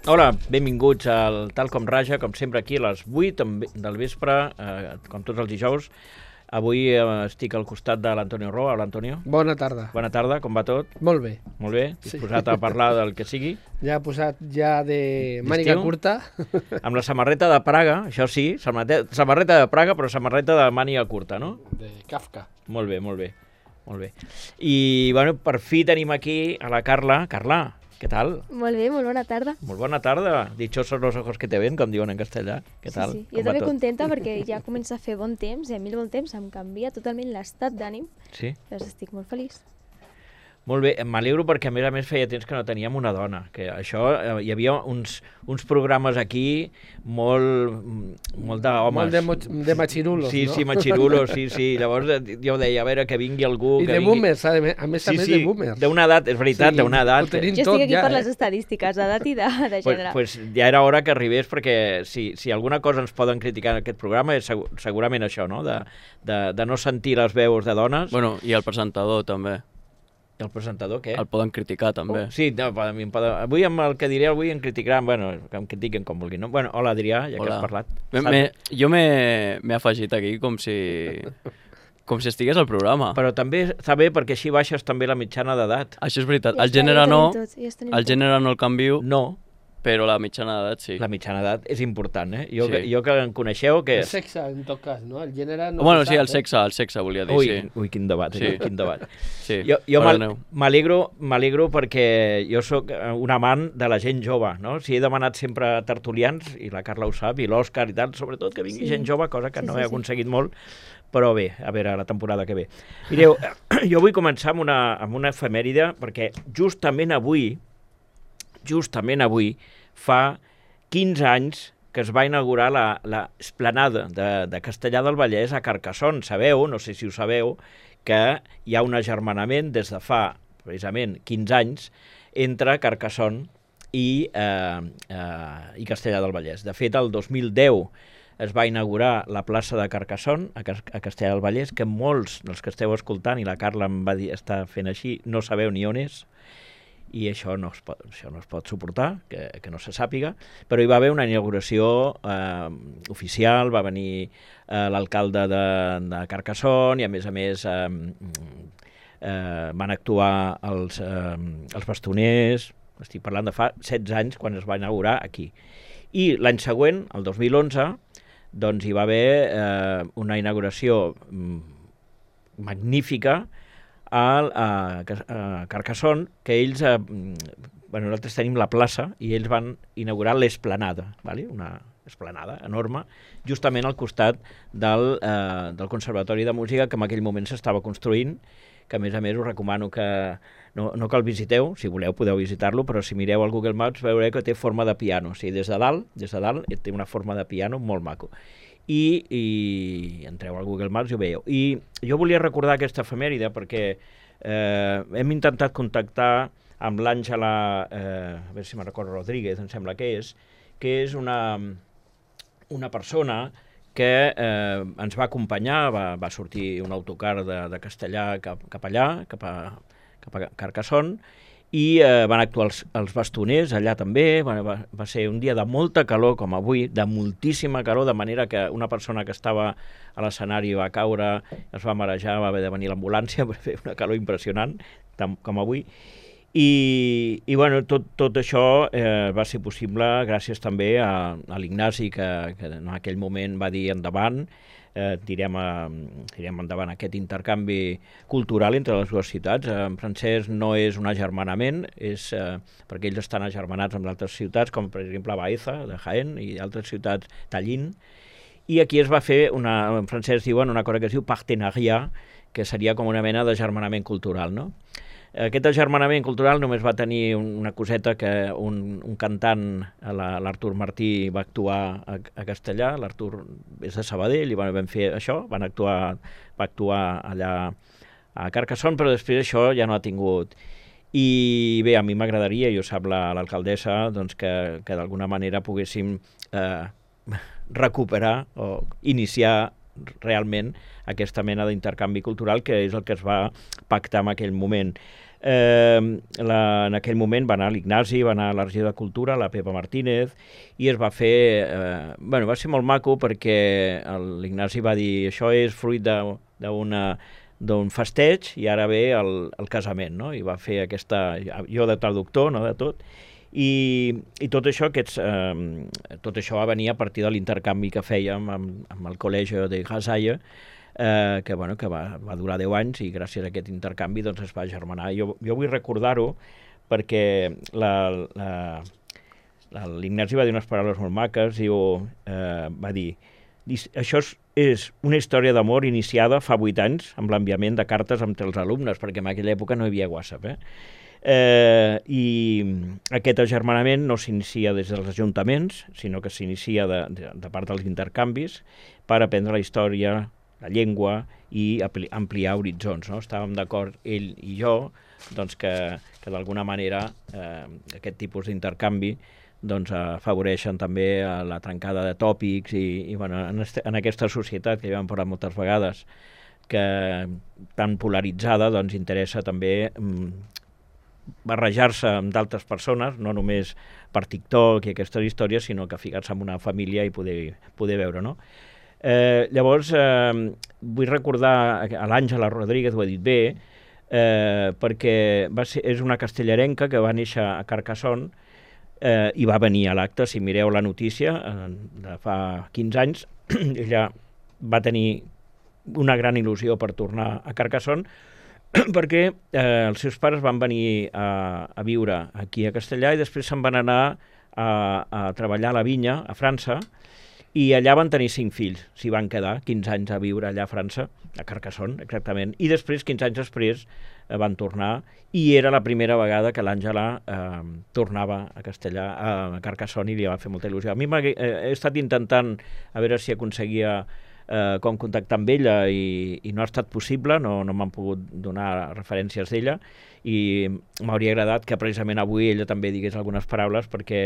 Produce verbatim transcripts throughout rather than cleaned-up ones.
Hola, benvinguts al Tal com Raja, com sempre aquí a les vuit del vespre, eh, com tots els dijous. Avui eh, estic al costat de l'Antonio Roa. Hola, Antonio. Bona tarda. Bona tarda, com va tot? Molt bé. Molt bé, disposat sí. a parlar del que sigui. Ja posat ja de màniga curta. Amb la samarreta de Praga, això sí, samarreta de Praga, però samarreta de màniga curta, no? De Kafka. Molt bé, molt bé, molt bé. I, bueno, per fi tenim aquí a la Carla. Carla, què tal? Molt bé, molt bona tarda. Molt bona tarda. Dichosos los ojos que te ven, com diuen en castellà. Què tal? Sí, sí. Jo també contenta perquè ja comença a fer bon temps, i a mi el bon temps em canvia totalment l'estat d'ànim. Sí? Llavors estic molt feliç. Molt bé, m'alegro perquè a més a més feia temps que no teníem una dona, que això, eh, hi havia uns, uns programes aquí molt, molt d'homes. Molt de, mo de machirulos, sí, no? Sí, machirulos, sí, sí. Llavors jo deia, a veure, que vingui algú... I que de vingui... boomers, a més, a més, sí, a més sí, de boomers. D'una edat, és veritat, sí, d'una edat. Jo estic tot, aquí ja, per eh? les estadístiques d'edat i de, de gènere. Pues, pues ja era hora que arribés, perquè si, si alguna cosa ens poden criticar en aquest programa és segur, segurament això, no? De, de, de no sentir les veus de dones. Bueno, i el presentador també. El presentador, què? El poden criticar, també. Oh, sí, no, a mi em poden... Avui amb el que diré avui em criticaran, bueno, que em critiquen com vulguin, no? Bueno, hola, Adrià, ja hola. Que has parlat. Me, me, jo m'he afegit aquí com si... com si estigués al programa. Però també està bé perquè així baixes també la mitjana d'edat. Això és veritat. Ja el gènere no, tot, ja el gènere no el canvio. No. Però la mitjana d'edat sí. La mitjana d'edat és important, eh? Jo, sí. que, jo que em coneixeu... Que... El sexe, en tot cas, no? El gènere no... Bueno, sí, el sexe, el sexe, volia dir, ui, sí. Ui, quin debat, sí. eh? Quin debat. Sí, jo jo m'alegro m'alegro perquè jo sóc un amant de la gent jove, no? Si he demanat sempre tertulians, i la Carla ho sap, i l'Òscar i tal, sobretot que vingui sí. gent jove, cosa que sí, no he sí, aconseguit sí. molt, però bé, a veure, la temporada que ve. Mireu, jo vull començar amb una, amb una efemèride, perquè justament avui, justament avui, fa quinze anys que es va inaugurar la, la esplanada de, de Castellar del Vallès a Carcassonne. Sabeu, no sé si ho sabeu, que hi ha un agermanament des de fa, precisament, quinze anys entre Carcassonne i, eh, eh, i Castellar del Vallès. De fet, el dos mil deu es va inaugurar la plaça de Carcassonne a, a Castellar del Vallès, que molts dels que esteu escoltant, i la Carla em va dir, està fent així, no sabeu ni on és, i això no es pot, això no es pot suportar, que, que no se sàpiga, però hi va haver una inauguració eh, oficial, va venir eh, l'alcalde de, de Carcassonne i a més a més eh, eh, van actuar els, eh, els bastoners, estic parlant de fa setze anys quan es va inaugurar aquí. I l'any següent, el dos mil onze, doncs hi va haver eh, una inauguració mm, magnífica a, a, a Carcassonne, que ells, eh, bueno, nosaltres tenim la plaça i ells van inaugurar l'esplanada, ¿vale? Una esplanada enorme, justament al costat del, eh, del Conservatori de Música que en aquell moment s'estava construint, que a més a més us recomano que no, no que el visiteu, si voleu podeu visitar-lo, però si mireu al Google Maps veureu que té forma de piano, o sigui, des de dalt, des de dalt té una forma de piano molt maco. I, i entreu al Google Maps i ho veieu. I jo volia recordar aquesta efemèride perquè eh, hem intentat contactar amb l'Àngela, eh, a veure si me'n recordo, Rodríguez, em sembla que és, que és una, una persona que eh, ens va acompanyar, va, va sortir un autocar de, de Castellà cap, cap allà, cap a, cap a Carcassonne, i eh, van actuar els, els bastoners allà també. Va, va, va ser un dia de molta calor com avui, de moltíssima calor, de manera que una persona que estava a l'escenari va caure, es va marejar, va haver de venir l'ambulància per fer una calor impressionant, tam, com avui. I, i bueno, tot, tot això eh, va ser possible gràcies també a, a l'Ignasi, que, que en aquell moment va dir endavant, Eh, tirem, a, tirem endavant aquest intercanvi cultural entre les dues ciutats. Eh, en francès no és un agermanament, és, eh, perquè ells estan agermanats amb altres ciutats, com per exemple Baeza, de Jaén, i altres ciutats, Tallinn, i aquí es va fer, una, en francès diuen una cosa que es diu partenariat, que seria com una mena d'agermanament cultural, no? Aquest agermanament cultural només va tenir una coseta que un, un cantant, l'Artur Martí, va actuar a, a Castellà. L'Artur és de Sabadell i van, van fer això, van actuar, va actuar allà a Carcassonne, però després això ja no ha tingut. I bé, a mi m'agradaria, i ho sap l'alcaldessa, doncs que, que d'alguna manera poguéssim eh, recuperar o iniciar realment aquesta mena d'intercanvi cultural, que és el que es va pactar en aquell moment. Eh, la, en aquell moment va anar l'Ignasi, va anar a la regió de Cultura, la Pepa Martínez, i es va fer... Eh, bueno, va ser molt maco perquè l'Ignasi va dir això és fruit d'una d'un festeig i ara ve el, el casament, no? I va fer aquesta... Jo de traductor, no?, de tot. I, i tot això aquests, eh, tot això va venir a partir de l'intercanvi que fèiem amb, amb el col·legi de Gasalla, eh, que, bueno, que va, va durar deu anys i gràcies a aquest intercanvi doncs, es va germanar. Jo, jo vull recordar-ho perquè l'Ignasi va dir unes paraules molt maques, diu, eh, va dir això és, és una història d'amor iniciada fa vuit anys amb l'enviament de cartes entre els alumnes, perquè en aquella època no hi havia WhatsApp, eh? Eh, i aquest agermanament no s'inicia des dels ajuntaments, sinó que s'inicia de, de, de part dels intercanvis per aprendre la història, la llengua i ampliar horitzons, no? Estàvem d'acord ell i jo doncs, que, que d'alguna manera eh, aquest tipus d'intercanvi doncs, afavoreixen també la trencada de tòpics i, i bueno, en, este, en aquesta societat que ja hem parlat moltes vegades que tan polaritzada doncs, interessa també mm, barrejar-se amb d'altres persones, no només per TikTok i aquestes històries, sinó que ficar-se en una família i poder, poder veure, no? Eh, llavors, eh, vull recordar a l'Àngela Rodríguez, ho he dit bé, eh, perquè va ser, és una castellarenca que va néixer a Carcassonne eh, i va venir a l'acte. Si mireu la notícia, eh, de fa quinze anys, ella va tenir una gran il·lusió per tornar a Carcassonne, perquè eh, els seus pares van venir a, a viure aquí a Castellà i després se'n van anar a, a treballar a la vinya, a França, i allà van tenir cinc fills, s'hi van quedar quinze anys a viure allà a França, a Carcassonne, exactament, i després, quinze anys després, eh, van tornar, i era la primera vegada que l'Àngela eh, tornava a Castellà, a Carcassonne, i li va fer molta il·lusió. A mi eh, he estat intentant a veure si aconseguia eh, com contactar amb ella, i, i no ha estat possible, no, no m'han pogut donar referències d'ella, i m'hauria agradat que precisament avui ella també digués algunes paraules, perquè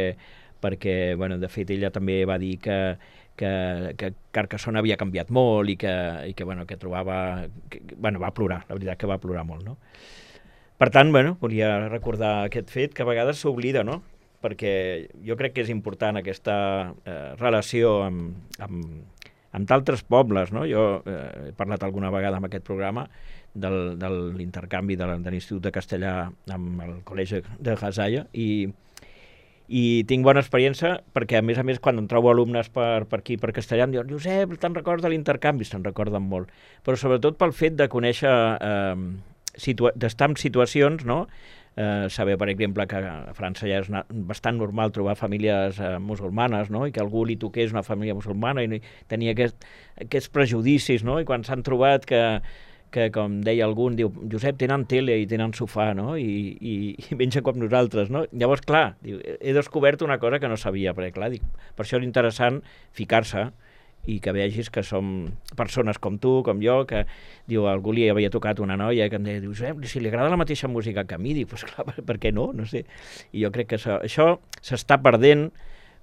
perquè, bueno, de fet, ella també va dir que, que, que Carcassonne havia canviat molt i que, i que, bueno, que trobava... Que, bueno, va plorar, la veritat que va plorar molt, no? Per tant, bueno, volia recordar aquest fet que a vegades s'oblida, no? Perquè jo crec que és important aquesta eh, relació amb, amb, amb d'altres pobles, no? Jo eh, he parlat alguna vegada en aquest programa del, de l'intercanvi de l'Institut de Castellà amb el Col·legi de Gasalla, i i tinc bona experiència perquè, a més a més, quan em trobo alumnes per, per aquí, per Castellà, em diuen, Josep, te'n recordes de l'intercanvi? Se'n recorden molt. Però sobretot pel fet de conèixer, eh, d'estar en situacions, no? Eh, saber, per exemple, que a França ja és una, bastant normal trobar famílies eh, musulmanes, no? I que algú li toqués una família musulmana i tenia aquest, aquests prejudicis, no? I quan s'han trobat que que, com deia algú, diu, Josep, tenen tele i tenen sofà, no? I, i, i mengen com nosaltres, no? Llavors, clar, diu, he descobert una cosa que no sabia, perquè, clar, dic, per això és interessant ficar-se i que vegis que som persones com tu, com jo, que, diu, algú li havia tocat una noia que em deia, diu, Josep, si li agrada la mateixa música que a mi, dic, pues clar, per què no? No sé. I jo crec que això, això s'està perdent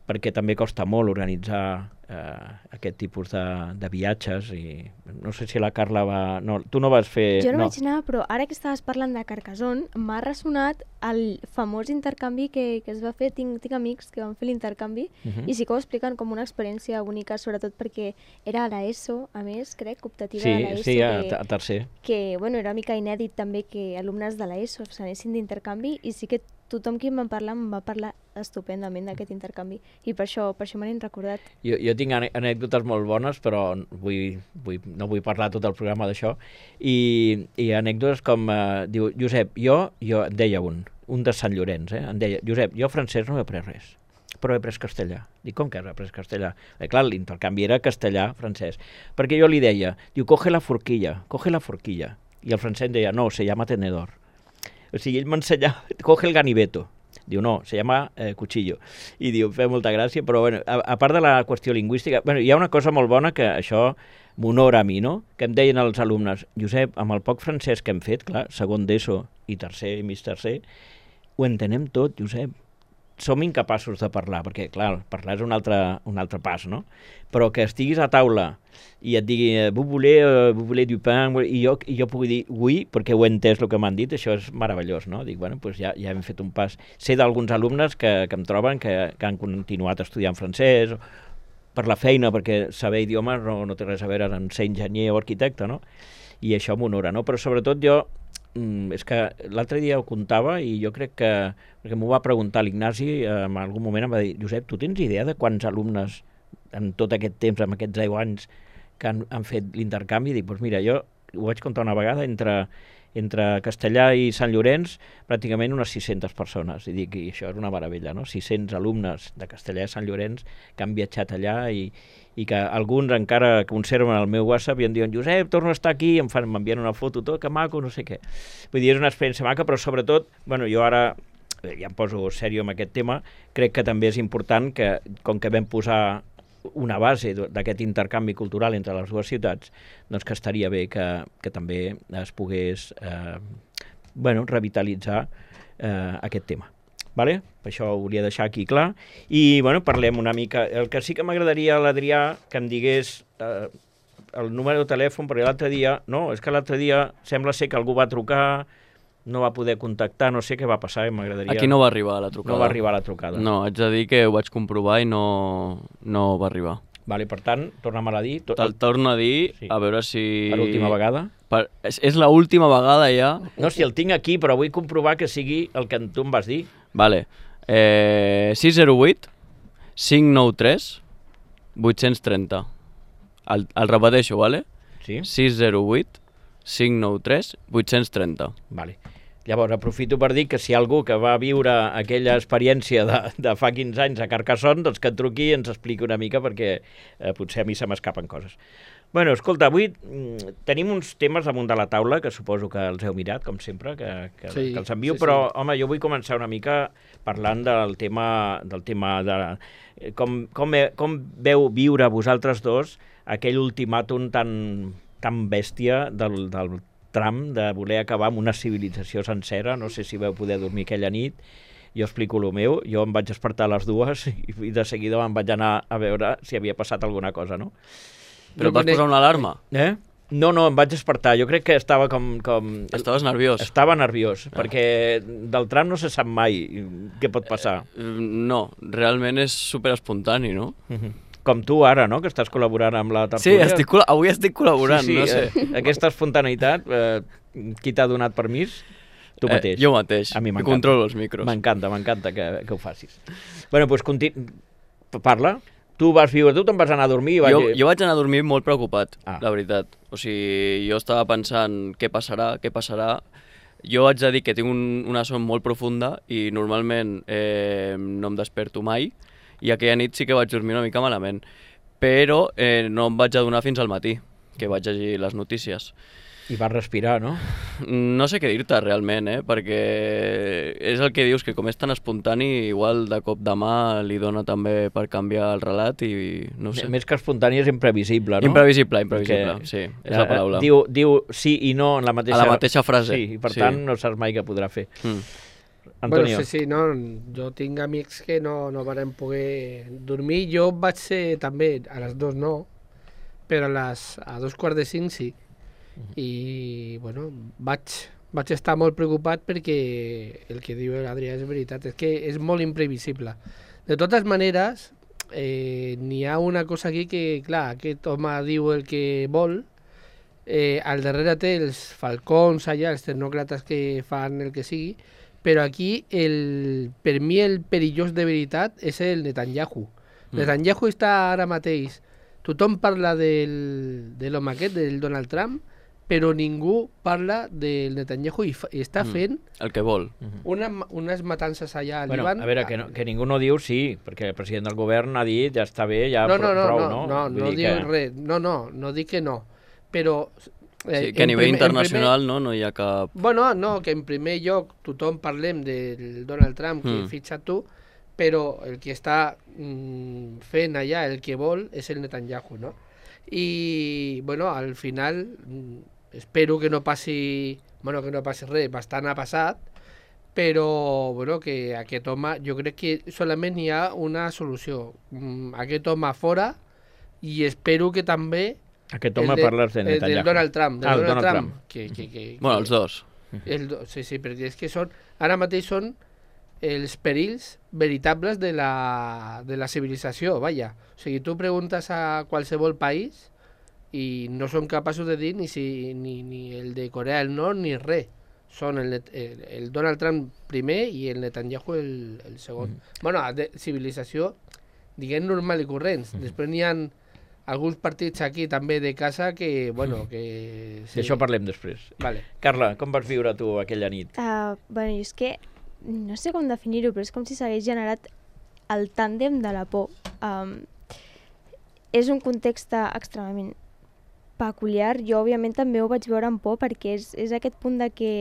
perquè també costa molt organitzar eh, aquest tipus de, de viatges, i no sé si la Carla va... No, tu no vas fer... Jo no, no vaig anar, però ara que estaves parlant de Carcassonne, m'ha ressonat el famós intercanvi que, que es va fer. Tinc, tinc amics que van fer l'intercanvi uh -huh. i sí que ho expliquen com una experiència única, sobretot perquè era a l'ESO, a més, crec, optativa sí, de l'ESO. Sí, a, que, a tercer. Que, bueno, era una mica inèdit també que alumnes de l'ESO s'anessin d'intercanvi, i sí que tothom qui em va parlar em va parlar estupendament d'aquest intercanvi, i per això, per això me n'he recordat. Jo, jo tinc anècdotes molt bones, però vull, vull, no vull parlar tot el programa d'això, i, i anècdotes com, eh, diu, Josep, jo, jo, em deia un, un de Sant Llorenç, eh, em deia, Josep, jo francès no he après res, però he après castellà. Dic, com que has après castellà? Eh, clar, l'intercanvi era castellà-francès, perquè jo li deia, diu, coge la forquilla, coge la forquilla, i el francès deia, no, se llama tenedor. O sigui, ell m'ensenyava, coge el ganiveto. Diu, no, se llama eh, cuchillo. I diu, feia molta gràcia, però bueno, a, a part de la qüestió lingüística, bueno, hi ha una cosa molt bona que això m'honora a mi, no? Que em deien els alumnes, Josep, amb el poc francès que hem fet, clar, segon d'ESO i tercer i mig tercer, ho entenem tot, Josep. som incapaços de parlar, perquè, clar, parlar és un altre, un altre pas, no? Però que estiguis a taula i et digui, vous voulez, uh, vous voulez du pain, i jo, i jo pugui dir oui, perquè ho he entès el que m'han dit, això és meravellós, no? Dic, bueno, doncs ja, ja hem fet un pas. Sé d'alguns alumnes que, que em troben que, que han continuat estudiant francès, per la feina, perquè saber idiomes no, no té res a veure amb ser enginyer o arquitecte, no? I això m'honora, no? Però sobretot jo, és que l'altre dia ho contava i jo crec que, perquè m'ho va preguntar l'Ignasi, en algun moment em va dir, Josep, tu tens idea de quants alumnes en tot aquest temps, en aquests deu anys, que han, han fet l'intercanvi? Dic, doncs mira, jo ho vaig contar una vegada entre, entre Castellà i Sant Llorenç, pràcticament unes sis-centes persones. I dic, i això és una meravella, no? sis-cents alumnes de Castellà i Sant Llorenç que han viatjat allà i, i que alguns encara conserven el meu WhatsApp i em diuen, Josep, torno a estar aquí, em fan, m'envien una foto, tot, que maco, no sé què. Vull dir, és una experiència maca, però sobretot, bueno, jo ara ja em poso sèrio amb aquest tema, crec que també és important que, com que vam posar una base d'aquest intercanvi cultural entre les dues ciutats, doncs que estaria bé que, que també es pogués eh, bueno, revitalitzar eh, aquest tema. Vale? Per això ho volia deixar aquí clar. I bueno, parlem una mica. El que sí que m'agradaria a l'Adrià que em digués eh, el número de telèfon, perquè l'altre dia, no, és que l'altre dia sembla ser que algú va trucar, no va poder contactar, no sé què va passar, i m'agradaria... Aquí no va arribar la trucada. No va arribar la trucada. No, haig de dir que ho vaig comprovar i no, no va arribar. Vale, per tant, torna'm-la a dir. To... Te'l torno a dir, sí. A veure si... Per última vegada? Per... És, és l'última vegada ja. No, si el tinc aquí, però vull comprovar que sigui el que tu em vas dir. Vale. Eh, sis zero vuit cinc nou tres vuit cents i trenta. El, el repeteixo, vale? Sí. sis zero vuit cinc nou tres vuit cents i trenta. Vale. Llavors, aprofito per dir que si hi ha algú que va viure aquella experiència de, de fa quinze anys a Carcassonne, doncs que et truqui i ens expliqui una mica, perquè eh, potser a mi se m'escapen coses. Bueno, escolta, avui mm, tenim uns temes damunt de la taula, que suposo que els heu mirat, com sempre, que, que, sí, que els envio, sí, però, sí. Home, jo vull començar una mica parlant del tema, del tema de com, com, com veu viure vosaltres dos aquell ultimàtum tan, tan bèstia del, del tram de voler acabar amb una civilització sencera. No sé si vau poder dormir aquella nit. Jo explico el meu. Jo em vaig despertar a les dues i de seguida me'n vaig anar a veure si havia passat alguna cosa, no? Però et vas posar una alarma? Eh? No, no, em vaig despertar. Jo crec que estava com... com... Estaves nerviós? Estava nerviós, ah. perquè del tram no se sap mai què pot passar. Eh, no, realment és superespontani, no? Uh-huh. Com tu ara, no?, que estàs col·laborant amb la tertúlia. Sí, estic, avui estic col·laborant, sí, sí, no sé. Eh, aquesta espontaneïtat, eh, qui t'ha donat permís? Tu mateix. Eh, jo mateix, a mi que controlo els micros. M'encanta, m'encanta que, que ho facis. Bueno, doncs continu... parla. Tu vas viure, tu te'n vas anar a dormir? I vaig... jo, jo vaig anar a dormir molt preocupat, ah. la veritat. O sigui, jo estava pensant què passarà, què passarà. Jo haig de dir que tinc un, una son molt profunda i normalment eh, no em desperto mai, i aquella nit sí que vaig dormir una mica malament, però eh, no em vaig adonar fins al matí, que vaig llegir les notícies. I vas respirar, no? No sé què dir-te realment, eh? Perquè és el que dius, que com és tan espontani, igual de cop de mà li dona també per canviar el relat i no sé. Més que espontani és imprevisible, no? Imprevisible, imprevisible, que, sí, és la paraula. Diu, diu sí i no en la mateixa... A la mateixa frase. Sí, i per sí. tant no saps mai què podrà fer. Mm. Antonio. Bueno, sí, sí, no, jo tinc amics que no, no varen poder dormir. Jo vaig ser també, a les dos no, però a, les, a dos quarts de cinc sí. I, bueno, vaig, vaig estar molt preocupat perquè el que diu l'Adrià és veritat, és que és molt imprevisible. De totes maneres, eh, n'hi ha una cosa aquí que, clar, aquest home diu el que vol, eh, al darrere té els falcons allà, els tecnòcrates que fan el que sigui, però aquí, el, per mi, el perillós de veritat és el Netanyahu. Mm. Netanyahu està ara mateix, tothom parla del, de l'home aquest, del Donald Trump, però ningú parla del Netanyahu i, fa, i està fent... Mm. El que vol. Una, unes matances allà al bueno, Líban... A veure, que, no, que ningú no diu sí, perquè el president del govern ha dit ja està bé, ja no, no, no, prou, no? No, no, no, no diu que... res. No, no, no dic que no. Però... Eh, sí, que a nivell primer, internacional primer, no, no hi ha cap... Bueno, no, que en primer lloc tothom parlem del Donald Trump que mm. fitxa tu, però el que està mm, fent allà, el que vol, és el Netanyahu, no? I, bueno, al final, mm, espero que no passi, bueno, que no passi res, bastant ha passat, però bueno, que aquest home, jo crec que solament hi ha una solució. Mm, aquest home fora, i espero que també... Aquest home parles de Netanyahu. Del Donald Trump. Del ah, Donald, Donald Trump. Trump. Que, que, que, bueno, els dos. El do, sí, sí, perquè és que són... Ara mateix són els perills veritables de la, de la civilització, vaja. O sigui, tu preguntes a qualsevol país i no són capaços de dir ni, si, ni, ni el de Corea del Nord ni res. Són el, el, el Donald Trump primer i el Netanyahu el, el segon. Mm. Bueno, de civilització, diguem, normal i corrents. Mm. Després n'hi ha alguns partits aquí també de casa que, bueno, que... Sí. D'això parlem després. Vale. Carla, com vas viure tu aquella nit? Uh, bueno, és que no sé com definir-ho, però és com si s'hagués generat el tàndem de la por. Um, és un context extremadament peculiar. Jo, òbviament, també ho vaig veure amb por perquè és, és aquest punt de que,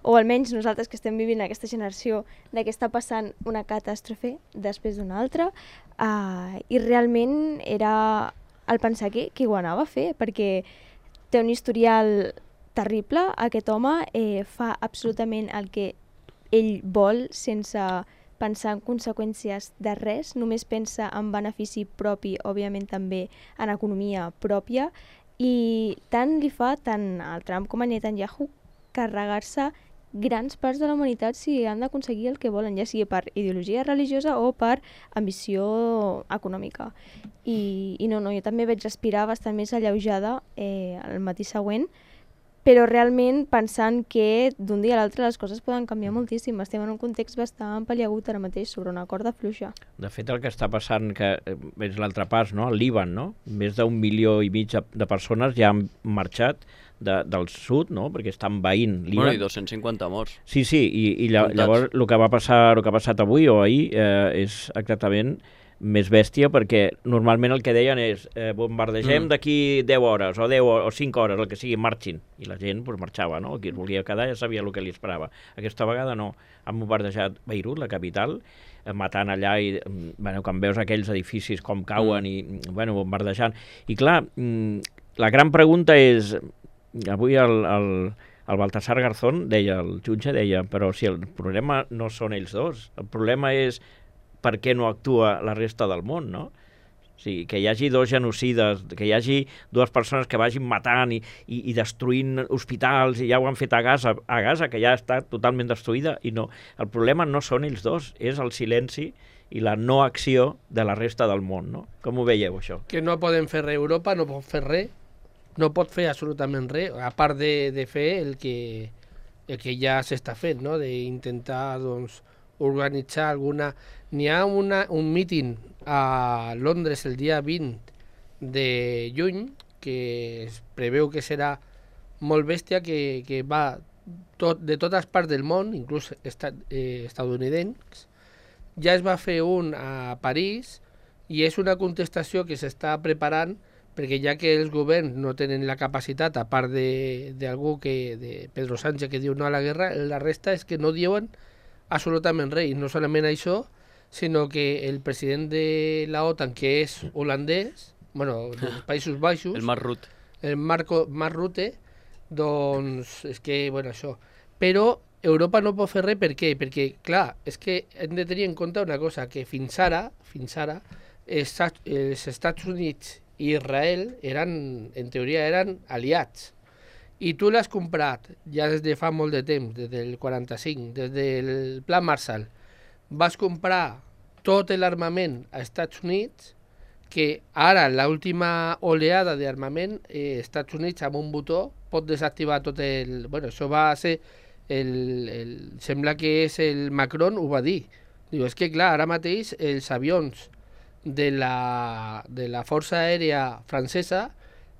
o almenys nosaltres que estem vivint aquesta generació, de que està passant una catàstrofe després d'una altra, uh, i realment era el pensar que, que ho anava a fer, perquè té un historial terrible. Aquest home eh, fa absolutament el que ell vol sense pensar en conseqüències de res, només pensa en benefici propi, òbviament també en economia pròpia, i tant li fa tant al Trump com a Netanyahu carregar-se grans parts de la humanitat si han d'aconseguir el que volen, ja sigui per ideologia religiosa o per ambició econòmica. I, i no, no, jo també vaig respirar bastant més alleujada eh, el matí següent, però realment pensant que d'un dia a l'altre les coses poden canviar moltíssim. Estem en un context bastant paliagut ara mateix sobre una corda fluixa. De fet, el que està passant, que és l'altre pas, no? El Líban, no? Més d'un milió i mig de persones ja han marxat de, del sud, no? Perquè estan veint Líban. Bueno, i dos-cents cinquanta morts. Sí, sí, i, i llavors el que va passar, el que ha passat avui o ahir eh, és exactament més bèstia, perquè normalment el que deien és eh, bombardegem mm. d'aquí deu hores o deu o cinc hores, el que sigui, marxin, i la gent pues, marxava, no? Qui es volia quedar ja sabia el que li esperava. Aquesta vegada no, han bombardejat Beirut, la capital, eh, matant allà, i bueno, quan veus aquells edificis com cauen mm. i bueno, bombardejant, i clar, la gran pregunta és, avui el, el, el Baltasar Garzón deia, el jutge deia, però si el problema no són ells dos, el problema és per què no actua la resta del món, no? O sigui, que hi hagi dos genocides, que hi hagi dues persones que vagin matant i, i, i destruint hospitals, i ja ho han fet a Gaza, a Gaza, que ja està totalment destruïda, i no. El problema no són ells dos, és el silenci i la no acció de la resta del món, no? Com ho veieu, això? Que no poden fer res, Europa no pot fer res, no pot fer absolutament res, a part de, de fer el que, el que ja s'està fent, no? D'intentar, doncs, organitzar alguna... N'hi ha una, un míting a Londres el dia vint de juny que es preveu que serà molt bèstia, que, que va tot, de totes parts del món, inclús estat, eh, estadounidencs. Ja es va fer un a París i és una contestació que s'està preparant perquè ja que els governs no tenen la capacitat, a part d'algú que de Pedro Sánchez que diu no a la guerra, la resta és que no diuen absolutament res. I no solament això, sinó que el president de la OTAN, que és holandès, bueno, dels Països Baixos, el Mark Rutte, el Marco, Mark Rutte, doncs és que, bueno, això. Però Europa no pot fer res, per què? Perquè, clar, és que hem de tenir en compte una cosa, que fins ara, fins ara, els Estats Units i Israel eren, en teoria, eren aliats. I tu l'has comprat ja des de fa molt de temps, des del quaranta-cinc, des del Pla Marshall. Vas comprar tot l'armament als Estats Units, que ara, l'última oleada d'armament, eh, Estats Units amb un botó pot desactivar tot el... Bueno, això va ser... El, el, sembla que és el Macron, ho va dir. Diu, és que clar, ara mateix els avions de la, de la Força Aèria Francesa,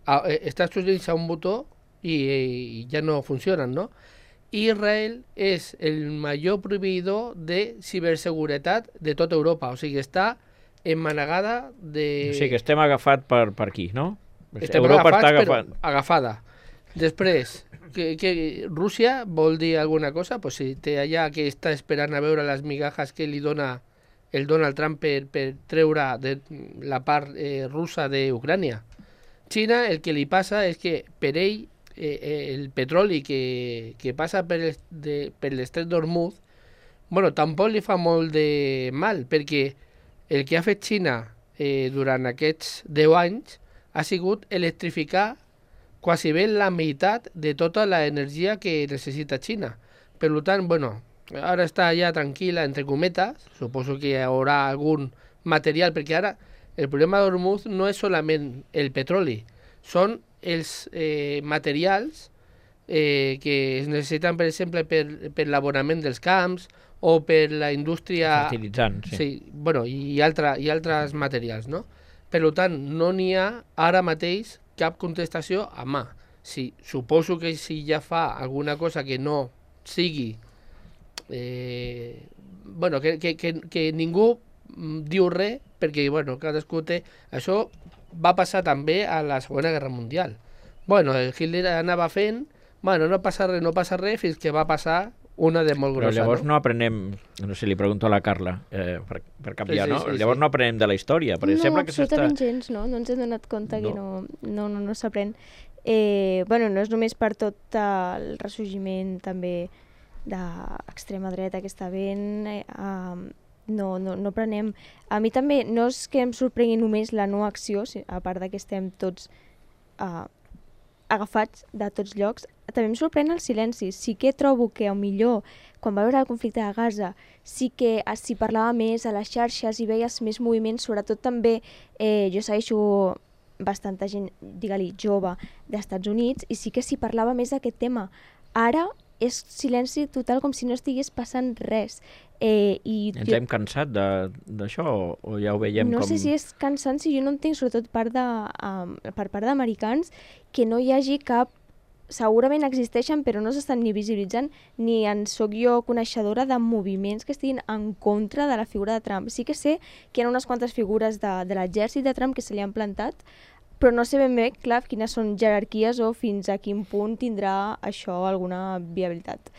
a, a Estats Units a un botó i, i ja no funcionen, no? Israel és el major proveïdor de ciberseguretat de tota Europa, o sigui, està emmanegada de... O sigui, que estem agafat per, per aquí, no? Estem Europa agafats, està agafat... però agafada. Després, que, que Rússia vol dir alguna cosa? Pues si té allà que està esperant a veure les migajas que li dona el Donald Trump per, per treure de la part eh, russa d'Ucrània. Xina, el que li passa és que per ell eh, el petroli que, que passa per l'estret d'Hormuz bueno, tampoc li fa molt de mal, perquè el que ha fet Xina eh, durant aquests deu anys ha sigut electrificar quasi bé la meitat de tota l'energia que necessita Xina. Per tant, bueno, ara està ja tranquil·la, entre cometes, suposo que hi haurà algun material, perquè ara el problema d'Hormuz no és solament el petroli, són els eh, materials eh, que es necessiten, per exemple, per, per l'abonament dels camps o per la indústria... Fertilitzants, sí. Sí, bueno, i, altra, i altres materials, no? Per tant, no n'hi ha ara mateix cap contestació a mà. Sí, suposo que si ja fa alguna cosa que no sigui... Eh, bueno, que, que, que, que ningú diu res, perquè, bueno, cadascú té... Això va passar també a la Segona Guerra Mundial. Bueno, el Hitler anava fent, bueno, no passa res, no passa res, fins que va passar una de molt grossa. Però llavors no? no aprenem, no sé, li pregunto a la Carla, eh, per, per canviar, sí, sí, no? sí, Llavors sí. no aprenem de la història, perquè no, sembla que s'està... absolutament gens, no? No ens hem donat compte No. que no, no, no, no s'aprèn. Eh, bueno, no és només per tot el ressorgiment també d'extrema dreta que està ben... Eh, um, no, no, no prenem. A mi també no és que em sorprengui només la no acció, a part de que estem tots uh, agafats de tots llocs, també em sorprèn el silenci. Sí que trobo que millor quan va haver el conflicte de Gaza sí que s'hi parlava més a les xarxes i veies més moviments, sobretot també eh, jo segueixo bastanta gent, digue-li, jove d'Estats Units, i sí que s'hi parlava més d'aquest tema. Ara és silenci total, com si no estigués passant res. Eh, i Ens jo, hem cansat de- d'això o, o ja ho veiem no com... sé si és cansant, si jo no entenc, sobretot part de, um, per part d'americans, que no hi hagi cap... Segurament existeixen, però no s'estan ni visibilitzant, ni en soc jo coneixedora de moviments que estiguin en contra de la figura de Trump. Sí que sé que hi ha unes quantes figures de, de l'exèrcit de Trump que se li han plantat, però no sé ben bé, clar, quines són jerarquies o fins a quin punt tindrà això alguna viabilitat.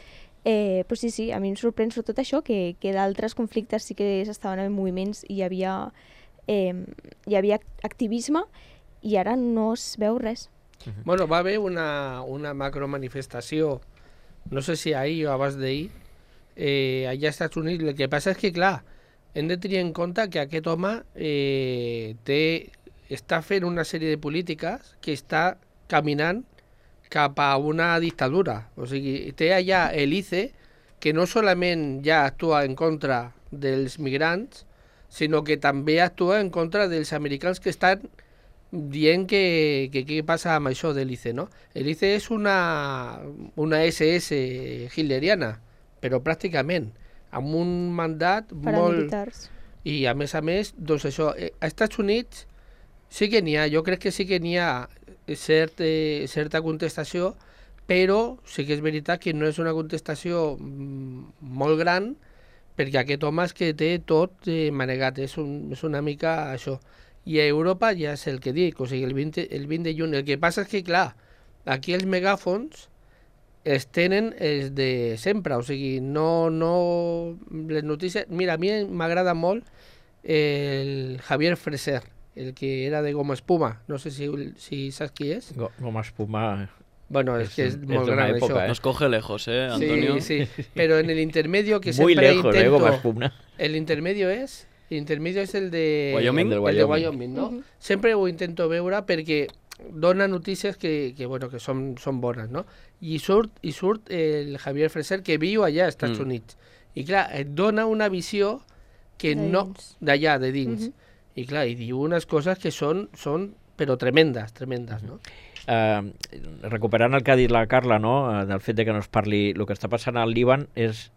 Eh, però sí, sí, a mi em sorprèn sobretot això, que, que d'altres conflictes sí que s'estaven en moviments i hi havia, eh, hi havia activisme i ara no es veu res. Bueno, va haver una, una macromanifestació, no sé si ahir o abans d'ahir, eh, allà als Estats Units. El que passa és que, clar, hem de tenir en compte que aquest home eh, té, està fent una sèrie de polítiques que està caminant cap a una dictadura. O sigui, té allà el I C E, que no solament ja actua en contra dels migrants, sinó que també actua en contra dels americans que estan dient que, que què passa amb això de l'I C E, no? L'I C E és una, una S S hitleriana, però pràcticament, amb un mandat molt... Paramilitars. I a més a més, doncs això, eh, a Estats Units sí que n'hi ha, jo crec que sí que n'hi ha cert, eh, certa contestació, però sí que és veritat que no és una contestació mm, molt gran, perquè aquest home és que té tot eh, manegat, és, un, és una mica això. I a Europa ja és el que dic, o sigui, el vint, el vint de juny. El que passa és que, clar, aquí els megàfons es tenen els de sempre, o sigui, no, no, les notícies... Mira, a mi m'agrada molt el Javier Freser, el que era de Goma Espuma, no sé si, si saps qui és. Go- Goma Espuma... Bueno, és, És- que és, és molt d'una gran època, això. eh? Nos coge lejos, ¿eh, Antonio? Sí, sí, pero en el intermedio que Muy siempre lejos, eh, intento... Goma Espuma. El intermedio és... El intermedio és el de... Wyoming? El, El de de Wyoming, no? Mhm. Sempre ho intento veure perquè dona notícies que, que, bueno, que són, són bones, no? I surt, i surt el Javier Freser, que viu allà als Estats Mm. Units. I clar, et dona una visió que De no... dins. D'allà, de dins. Mhm. I clar, i diu unes coses que són, són però tremendes, tremendes, no? Eh, recuperant el que ha dit la Carla, no? eh, del fet de que no es parli el que està passant al Líban, és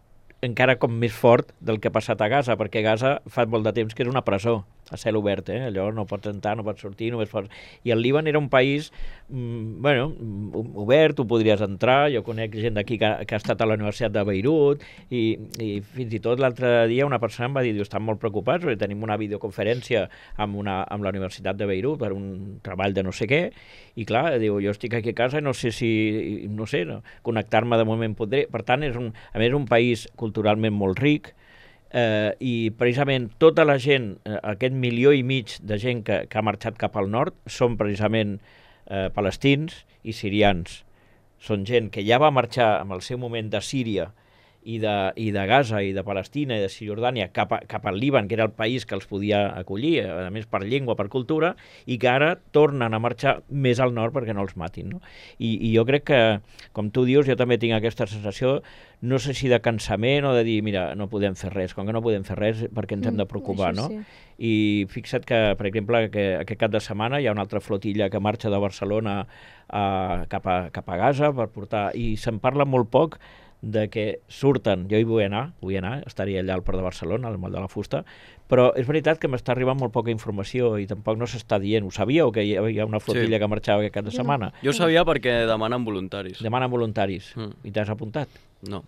encara com més fort del que ha passat a Gaza, perquè Gaza fa molt de temps que és una presó a cel obert, eh? Allò no pots entrar, no pots sortir, només pots... I el Líban era un país, mm, bueno, mm, obert, tu podries entrar, jo conec gent d'aquí que, que ha estat a la Universitat de Beirut, i, i fins i tot l'altre dia una persona em va dir, diu, estan molt preocupats perquè tenim una videoconferència amb, una, amb la Universitat de Beirut per un treball de no sé què, i clar, diu, jo estic aquí a casa i no sé si, no sé, no, connectar-me de moment podré. Per tant, és un, a més, un país culturalment molt ric, eh, i precisament tota la gent, eh, aquest milió i mig de gent que, que ha marxat cap al nord, són precisament eh, palestins i sirians. Són gent que ja va marxar en el seu moment de Síria i de, i de Gaza i de Palestina i de Cisjordània cap, a, cap al Líban, que era el país que els podia acollir, a més per llengua, per cultura, i que ara tornen a marxar més al nord perquè no els matin. No? I, I jo crec que, com tu dius, jo també tinc aquesta sensació, no sé si de cansament o de dir, mira, no podem fer res, com que no podem fer res perquè ens hem de preocupar, no? Sí. I fixa't que, per exemple, que aquest cap de setmana hi ha una altra flotilla que marxa de Barcelona a, cap, a, cap a Gaza per portar, i se'n parla molt poc de que surten, jo hi vull anar, vull anar, estaria allà al Port de Barcelona, al Moll de la Fusta, però és veritat que m'està arribant molt poca informació i tampoc no s'està dient. Ho sabíeu, que hi havia una flotilla sí. que marxava aquest cap de setmana? Jo ho sabia perquè demanen voluntaris. Demanen voluntaris. Mm. I t'has apuntat? No.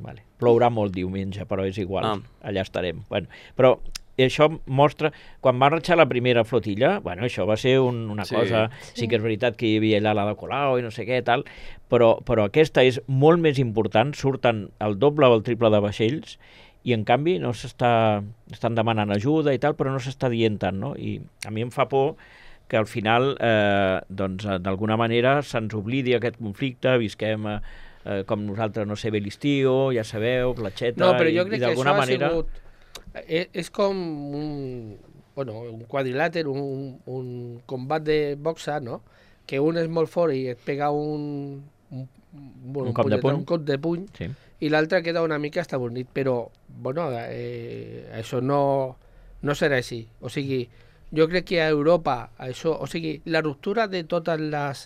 Vale. Plourà molt diumenge, però és igual, ah. allà estarem. Bueno, però això mostra, quan va marxar la primera flotilla, bueno, això va ser un, una sí. cosa, sí. sí que és veritat que hi havia allà la de Colau i no sé què, tal, però, però aquesta és molt més important, surten el doble o el triple de vaixells, i en canvi no s'està, estan demanant ajuda i tal, però no s'està dient tant, no? I a mi em fa por que al final, eh, doncs, d'alguna manera se'ns oblidi aquest conflicte, visquem eh, com nosaltres, no sé, bé l'estiu, ja sabeu, platxeta, no, però jo i, crec i d'alguna que això manera... ha sigut... És, és com un, bueno, un quadrilàter, un, un combat de boxa, no? Que un és molt fort i et pega un, un, un, un cop de puny, un cop de puny sí. i l'altre queda una mica estabornit, però bueno, eh, això no, no serà així. O sigui, jo crec que a Europa, això, o sigui, la ruptura de totes les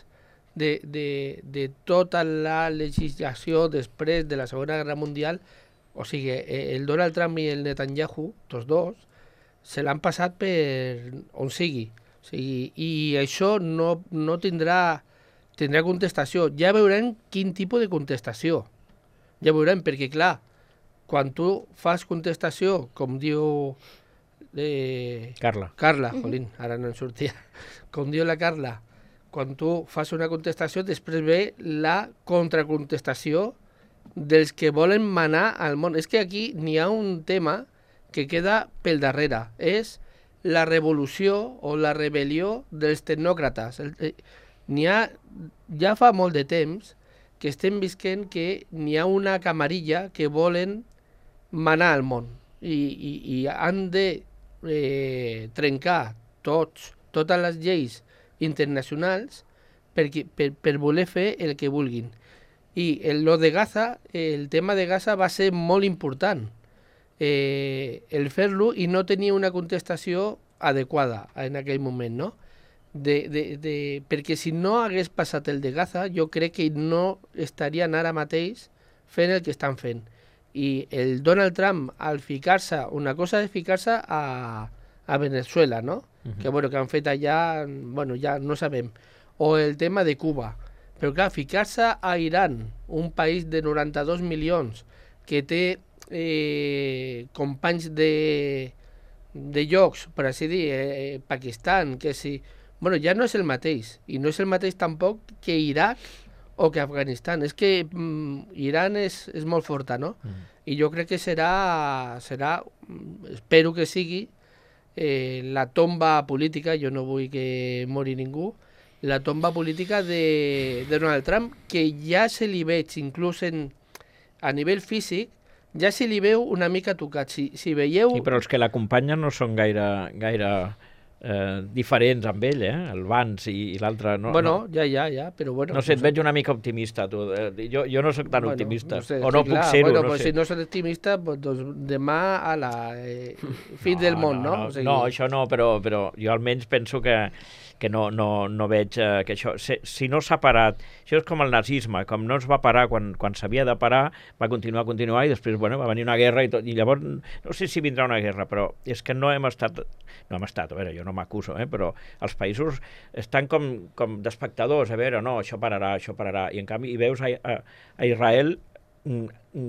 de, de, de tota la legislació després de la Segona Guerra Mundial, o sigui, el Donald Trump i el Netanyahu, tots dos, se l'han passat per on sigui. O sigui, i això no, no tindrà, tindrà contestació. Ja veurem quin tipus de contestació. Ja veurem, perquè clar, quan tu fas contestació, com diu eh, Carla, Carla, jolín, ara no en sortia, com diu la Carla, quan tu fas una contestació, després ve la contracontestació dels que volen manar al món. És que aquí n'hi ha un tema que queda pel darrere. És la revolució o la rebel·lió dels tecnòcrates. N'hi ha, ja fa molt de temps que estem visquent que n'hi ha una camarilla que volen manar al món i, i, i han de eh, trencar tots, totes les lleis internacionals per, per, per voler fer el que vulguin. I el, lo de Gaza, el tema de Gaza va ser molt important, eh, el fer-lo i no tenia una contestació adequada en aquell moment, no? De, de, de, perquè si no hagués passat el de Gaza, jo crec que no estarien ara mateix fent el que estan fent. I el Donald Trump, al ficar-se, una cosa és ficar-se a, a Venezuela, no? Uh-huh. Que, bueno, que han fet allà, bueno, ja no sabem. O el tema de Cuba. Però clar, ficar-se a Iran, un país de noranta-dos milions, que té eh, companys de, de llocs, per així dir, eh, Pakistan, que si... Bueno, ja no és el mateix, i no és el mateix tampoc que Iraq o que Afganistan. És que mm, Iran és, és molt forta, no? Mm. I jo crec que serà, serà, espero que sigui, eh, la tomba política, jo no vull que mori ningú, la tomba política de, de Donald Trump, que ja se li veig, inclús en, a nivell físic, ja se li veu una mica tocat. Si, si veieu... Sí, però els que l'acompanyen no són gaire, gaire eh, diferents amb ell, eh? El Vance i, i l'altre... No, bueno, no. ja, ja, ja, però bueno... No sé, et veig una mica optimista, tu. Jo, jo no sóc tan bueno, optimista. No sé, o no sí, puc clar, ser-ho, bueno, no pues sé. Si no soc optimista, pues, doncs demà a la eh, fin no, del món, no? No, O sigui... no això no, però, però jo almenys penso que... que no, no, no veig eh, que això... Si, si no s'ha parat... Això és com el nazisme, com no es va parar quan, quan s'havia de parar, va continuar, continuar, i després, bueno, va venir una guerra i tot, i llavors, no sé si vindrà una guerra, però és que no hem estat... No hem estat, a veure, jo no m'acuso, eh, però els països estan com, com d'espectadors, a veure, no, això pararà, això pararà, i en canvi, i veus a, a, a Israel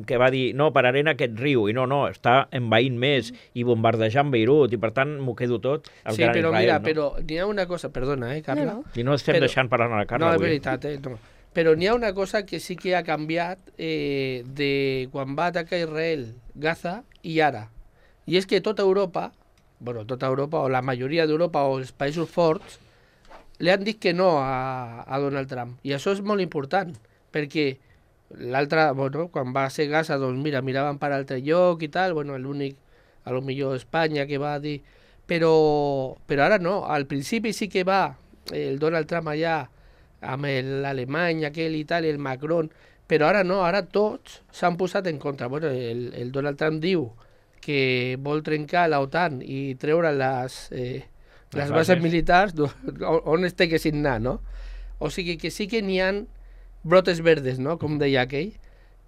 que va dir, no, pararé en aquest riu, i no, no, està envaint més i bombardejant Beirut, i per tant m'ho quedo tot al sí, gran però Israel. Mira, no? però n'hi ha una cosa, perdona, eh, Carla? No, no. I no estem però, deixant parlar a la Carla no, avui. No, és veritat, eh, no. Però n'hi ha una cosa que sí que ha canviat eh, de quan va atacar Israel, Gaza, i ara. I és que tota Europa, bueno, tota Europa, o la majoria d'Europa, o els països forts, li han dit que no a, a Donald Trump. I això és molt important, perquè l'altre, bueno, quan va ser Gaza, doncs mira, miraven per altre lloc i tal, bueno, l'únic, a lo millor Espanya que va dir, però, però ara no, al principi sí que va el Donald Trump allà amb l'Alemany aquell i tal, el Macron, però ara no, ara tots s'han posat en contra. Bueno, el, el Donald Trump diu que vol trencar l'OTAN i treure les, eh, les bases militars on es té que signar, no? O sigui que sí que n'hi ha brotes verdes, no? Com deia aquell,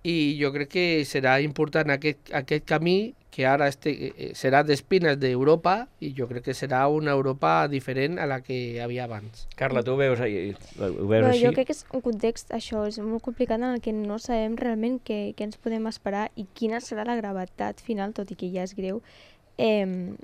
i jo crec que serà important aquest, aquest camí que ara este, serà d'espines d'Europa i jo crec que serà una Europa diferent a la que hi havia abans. Carla, tu ho veus, ho veus no, així? Jo crec que és un context, això, és molt complicat en el que no sabem realment què, què ens podem esperar i quina serà la gravetat final, tot i que ja és greu, eh,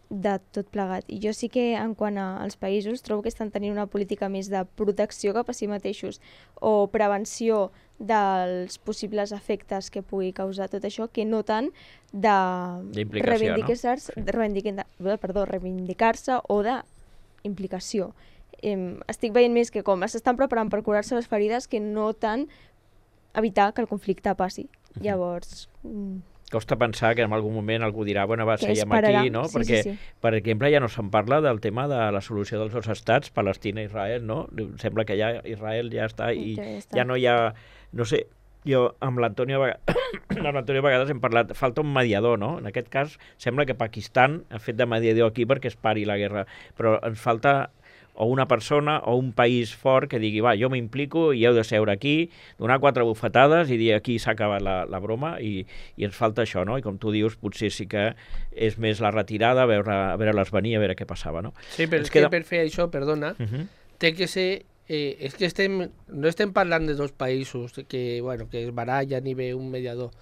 de tot plegat. I jo sí que, en quant als països, trobo que estan tenint una política més de protecció cap a si mateixos o prevenció dels possibles efectes que pugui causar tot això, que no tant de reivindicar-se no? sí. reivindicar, perdó, reivindicar-se o d'implicació. Eh, estic veient més que com s'estan preparant per curar-se les ferides que no tant evitar que el conflicte passi. Uh-huh. Llavors... Costa pensar que en algun moment algú dirà, bueno, va, seguim aquí, no? Sí, Perquè, sí, sí. per exemple, ja no se'n parla del tema de la solució dels dos estats, Palestina i Israel, no? Sembla que ja Israel ja està i ja, està. ja no hi ha... No sé, jo amb l'Antonio a vegades hem parlat, falta un mediador, no? En aquest cas, sembla que Pakistan ha fet de mediador aquí perquè es pari la guerra, però ens falta o una persona o un país fort que digui, va, jo m'implico i heu de seure aquí, donar quatre bufetades i dir aquí s'ha acabat la, la broma i, i ens falta això, no? I com tu dius, potser sí que és més la retirada, a veure, a veure-les venir, a veure què passava, no? Sí, però és queda... que per fer això, perdona, uh-huh. té que ser... Eh, és que estem, no estem parlant de dos països que, bueno, que es barallen i ve un mediador.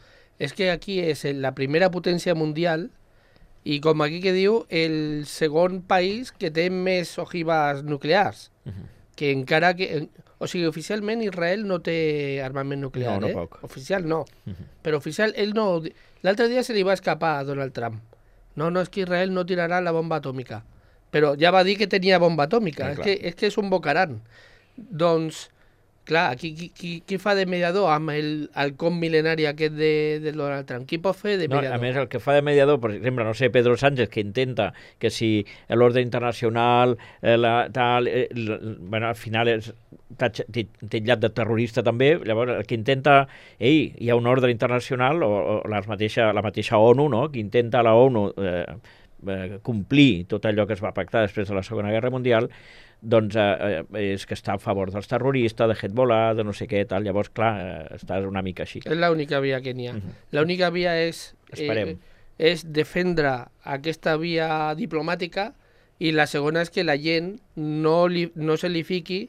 És que aquí és la primera potència mundial i com aquí que diu, el segon país que té més ojivas nuclears, uh-huh. que encara que... O sigui, oficialment Israel no té armament nuclear, no, no eh? Poc. Oficial no. Uh-huh. Però oficial, ell no... L'altre dia se li va escapar a Donald Trump. No, no, és que Israel no tirarà la bomba atòmica. Però ja va dir que tenia bomba atòmica. Sí, és, que, és que és un bocaran. Doncs, clar, qui, qui, qui fa de mediador amb el, el com mil·lenari aquest de, de Donald Trump? Qui pot fer de mediador? No, a més, el que fa de mediador, per exemple, no sé, Pedro Sánchez, que intenta que si l'ordre internacional, eh, la, tal, eh, la, bueno, al final és titllat de terrorista també, llavors el que intenta, ei, hi ha un ordre internacional, o, o les mateixa, la mateixa ONU, no?, que intenta la ONU eh, eh, complir tot allò que es va pactar després de la Segona Guerra Mundial, doncs eh, és que està a favor dels terroristes, de Hezbollah, de no sé què, tal. Llavors, clar, eh, estàs una mica així. És l'única via que n'hi ha. Uh-huh. L'única via és, eh, és defendre aquesta via diplomàtica i la segona és que la gent no, li, no se li fiqui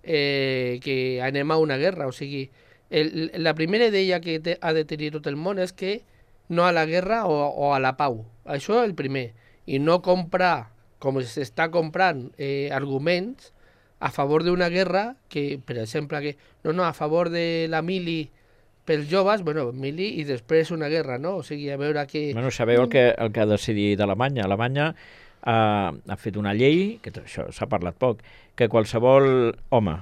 eh, que anem a una guerra. O sigui, el, la primera idea que te, ha de tenir tot el món és que no a la guerra o, o a la pau. Això és el primer. I no comprar com s'està comprant eh, arguments a favor d'una guerra que, per exemple, que no, no, a favor de la mili pels joves, bueno, mili i després una guerra, no? O sigui, a veure què... Bueno, sabeu el que, el que ha decidit Alemanya? Alemanya ha, ha fet una llei, que això s'ha parlat poc, que qualsevol home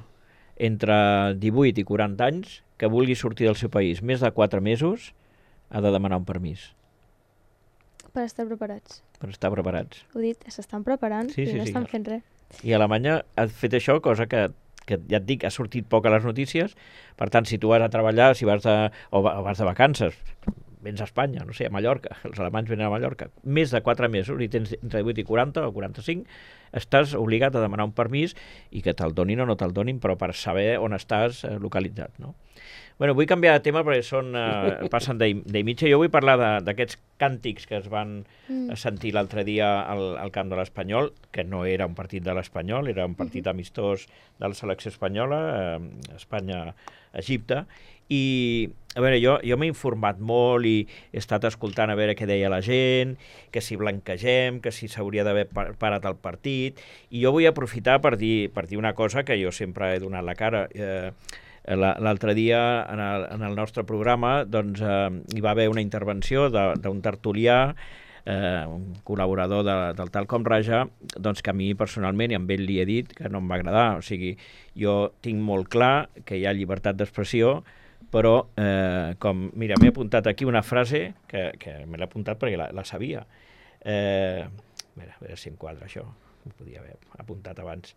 entre divuit i quaranta anys que vulgui sortir del seu país més de quatre mesos ha de demanar un permís. Per estar preparats. Per estar preparats. Ho dit, s'estan preparant sí, i sí, no sí. estan fent res. I Alemanya ha fet això, cosa que, que ja et dic, ha sortit poc a les notícies. Per tant, si tu vas a treballar, si vas de, o vas de vacances, vens a Espanya, no sé, a Mallorca, els alemanys venen a Mallorca, més de quatre mesos, i tens entre divuit i quaranta o quaranta-cinc, estàs obligat a demanar un permís i que te'l donin o no te'l donin, però per saber on estàs eh, localitzat, no? Bueno, vull canviar de tema perquè són, eh, passen d'ell mitja. Jo vull parlar d'aquests càntics que es van mm. sentir l'altre dia al, al camp de l'Espanyol, que no era un partit de l'Espanyol, era un partit mm-hmm. amistós de la selecció espanyola, eh, Espanya-Egipte, i a veure, jo, jo m'he informat molt i he estat escoltant a veure què deia la gent, que si blanquegem, que si s'hauria d'haver parat el partit, i jo vull aprofitar per dir, per dir una cosa que jo sempre he donat la cara. Eh, L'altre dia, en el, en el nostre programa, doncs, eh, hi va haver una intervenció d'un tertulià, eh, un col·laborador de, del Talcom Raja, doncs que a mi personalment, i amb ell li he dit que no em va agradar. O sigui, jo tinc molt clar que hi ha llibertat d'expressió, però, eh, com, mira, m'he apuntat aquí una frase que, que me l'he apuntat perquè la, la sabia. Eh, a veure, a veure si em quadra això, ho podia haver apuntat abans.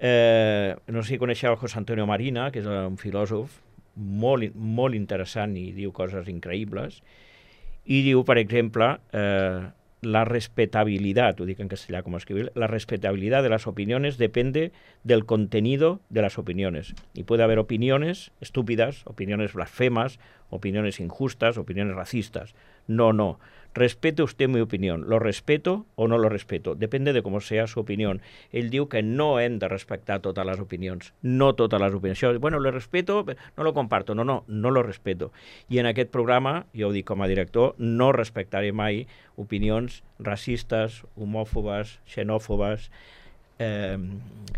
Eh, no sé si coneixeu José Antonio Marina, que és un filòsof molt, molt interessant i diu coses increïbles, i diu, per exemple, eh, la respetabilidad, ho dic en castellà com escribir, la respetabilidad de las opiniones depende del contenido de las opiniones. Y puede haber opiniones estúpidas, opiniones blasfemas, opiniones injustas, opiniones racistas. No, no. Respete usted mi opinión. ¿Lo respeto o no lo respeto? Depende de cómo sea su opinión. Ell diu que no hem de respectar totes les opinions. No totes les opinions. Això, bueno, lo respeto, no lo comparto. No, no, no lo respeto. I en aquest programa, jo ho dic com a director, no respectaré mai opinions racistes, homòfobes, xenòfobes, eh,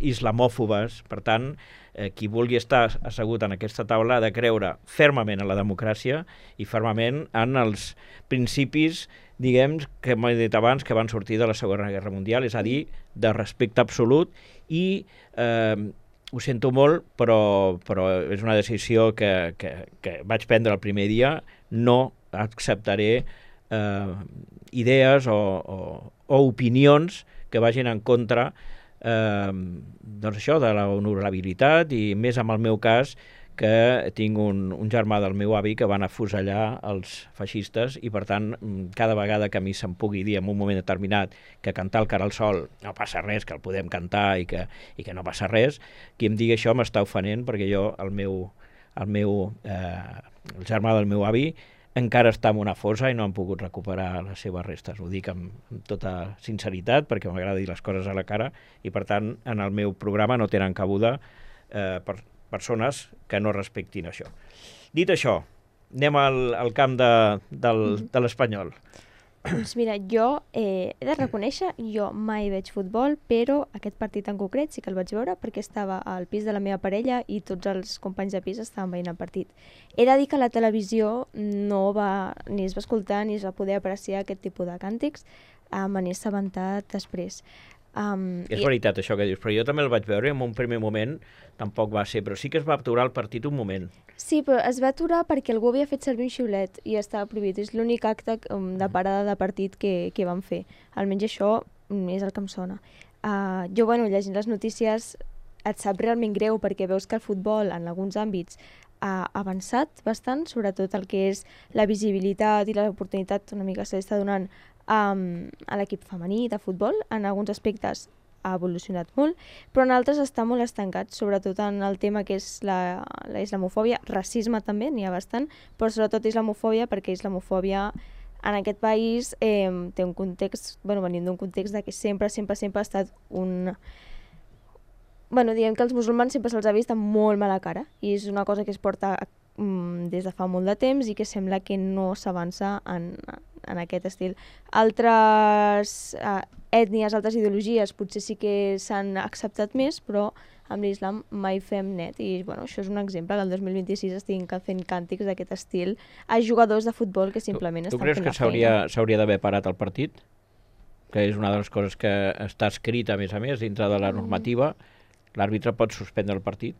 islamòfobes. Per tant, eh, qui vulgui estar assegut en aquesta taula ha de creure fermament en la democràcia i fermament en els principis, diguem, que m'he dit abans, que van sortir de la Segona Guerra Mundial, és a dir, de respecte absolut i eh, ho sento molt, però, però és una decisió que, que, que vaig prendre el primer dia, no acceptaré eh, idees o, o, o opinions que vagin en contra Eh, doncs això, de la honorabilitat i més en el meu cas que tinc un, un germà del meu avi que van afusellar els feixistes i per tant cada vegada que a mi se'm pugui dir en un moment determinat que cantar el Cara al Sol no passa res, que el podem cantar i que, i que no passa res, qui em digui això m'està ofenent perquè jo, el meu, el meu eh, el germà del meu avi encara està en una fossa i no han pogut recuperar les seves restes. Ho dic amb, amb tota sinceritat perquè m'agrada dir les coses a la cara i per tant en el meu programa no tenen cabuda eh, per persones que no respectin això. Dit això, anem al, al camp de, del, de l'Espanyol. Doncs mira, jo eh, he de reconèixer, jo mai veig futbol, però aquest partit en concret sí que el vaig veure perquè estava al pis de la meva parella i tots els companys de pis estaven veient el partit. He de dir que la televisió no va, ni es va escoltar ni es va poder apreciar aquest tipus de càntics, eh, me n'he assabentat després. Um, és veritat això que dius, però jo també el vaig veure i en un primer moment tampoc va ser, però sí que es va aturar el partit un moment. Sí, però es va aturar perquè algú havia fet servir un xiulet i estava prohibit. És l'únic acte um, de parada de partit que, que van fer. Almenys això um, és el que em sona. Uh, jo, bueno, llegint les notícies et sap realment greu perquè veus que el futbol en alguns àmbits ha avançat bastant, sobretot el que és la visibilitat i l'oportunitat una mica se li està donant um, a l'equip femení de futbol. En alguns aspectes ha evolucionat molt, però en altres està molt estancat, sobretot en el tema que és la, la islamofòbia, racisme també, n'hi ha bastant, però sobretot islamofòbia, perquè islamofòbia en aquest país eh, té un context, bueno, venim d'un context de que sempre, sempre, sempre ha estat un... Bueno, diguem que els musulmans sempre se'ls ha vist amb molt mala cara, i és una cosa que es porta mm, des de fa molt de temps i que sembla que no s'avança en, en aquest estil. Altres eh, ètnies, altres ideologies potser sí que s'han acceptat més, però amb l'islam mai fem net. I bueno, això és un exemple, que el dos mil vint-i-sis estiguin fent càntics d'aquest estil a jugadors de futbol que simplement tu, estan fent la feina. Tu creus que s'hauria d'haver parat el partit? Que és una de les coses que està escrita, a més a més, dintre de la normativa. L'àrbitre pot suspendre el partit?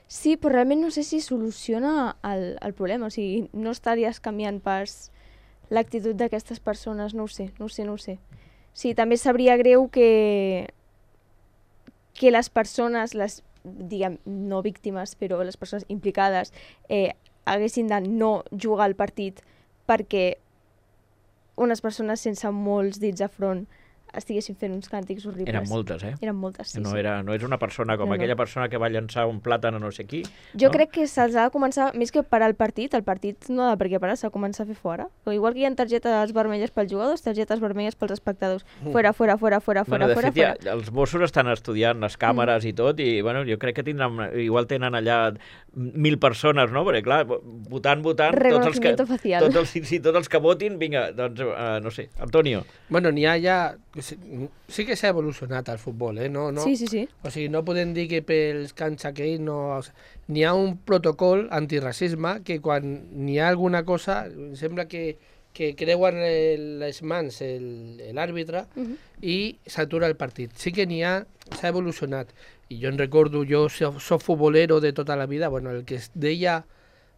Sí, però realment no sé si soluciona el, el problema. O sigui, no estaries canviant pas l'actitud d'aquestes persones, no ho sé, no ho sé, no ho sé. Sí, també sabria greu que, que les persones, les, diguem, no víctimes, però les persones implicades, eh, haguessin de no jugar al partit perquè unes persones sense molts dits a front estiguessin fent uns càntics horribles. Eren moltes, eh? Eren moltes, sí. No, sí. era, no és una persona com no, aquella no. persona que va llançar un plàtan a no sé qui. Jo no? crec que se'ls ha de començar, més que parar el partit, el partit no ha de per què parar, s'ha de començar a fer fora. O igual que hi ha targetes vermelles pels jugadors, targetes vermelles pels espectadors. Fora, fora, fora, fora, bueno, fora, fora, fet, fora. Ja, els Mossos estan estudiant les càmeres mm. i tot, i bueno, jo crec que tindran, igual tenen allà mil persones, no? Perquè clar, votant, votant, tots els que, facial. tots els, sí, tots els que votin, vinga, doncs, uh, no sé, Antonio. Bueno, n'hi ha ja... Sí que s'ha evolucionat el futbol, eh? No, no, sí, sí, sí. O sigui, no podem dir que pels cants aquells no... O sigui, n'hi ha un protocol antirracisme que quan n'hi ha alguna cosa, sembla que, que creuen les mans l'àrbitre uh-huh. i s'atura el partit. Sí que n'hi ha, s'ha evolucionat. I jo en recordo, jo soc futbolero de tota la vida, bueno, el que es deia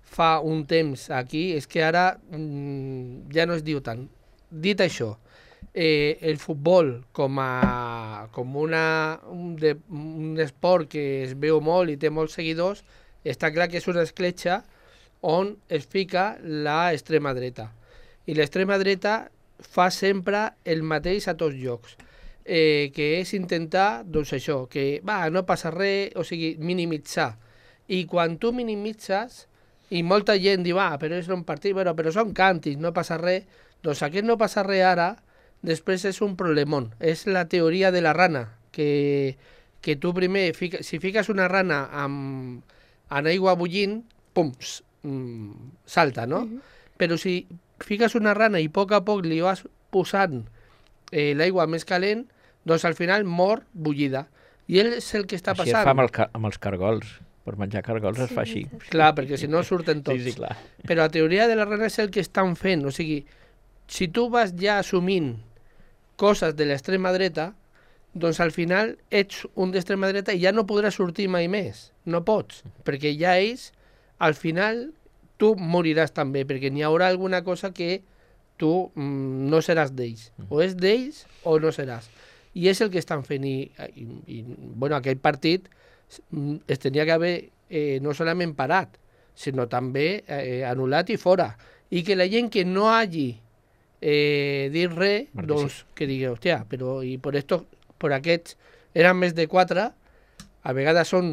fa un temps aquí, és que ara mm, ja no es diu tant. Dit això, eh, el futbol com, a, com una, un, de, un esport que es veu molt i té molts seguidors, està clar que és una escletxa on es fica l'extrema dreta. I l'extrema dreta fa sempre el mateix a tots llocs, eh, que és intentar, doncs això, que va, no passa res, o sigui, minimitzar. I quan tu minimitzes, i molta gent diu, ah, però és un partit, bueno, però són càntics, no passa res, doncs aquest no passa res ara, després és un problemón. És la teoria de la rana, que, que tu primer, fica, si fiques una rana amb, amb aigua bullint, pum, salta, no? Uh-huh. Però si fiques una rana i a poc a poc li vas posant eh, l'aigua més calent, doncs al final mor bullida. I és el que està passant. Així es fa amb, el, amb els cargols. Per menjar cargols sí, es fa així. Clar, perquè si no surten tots. Sí, sí, clar. Però la teoria de la rana és el que estan fent. O sigui, si tu vas ja assumint coses de l'extrema dreta, doncs al final ets un d'extrema dreta i ja no podràs sortir mai més. No pots, perquè ja ells, al final, tu moriràs també, perquè n'hi haurà alguna cosa que tu mm, no seràs d'ells. O és d'ells o no seràs. I és el que estan fent. I, i, i bueno, aquell partit es tenia que haver eh, no solament parat, sinó també eh, anul·lat i fora. I que la gent que no hagi eh, dit res, Perquè doncs sí. que digui, hòstia, però i per, esto, per aquests eren més de quatre, a vegades són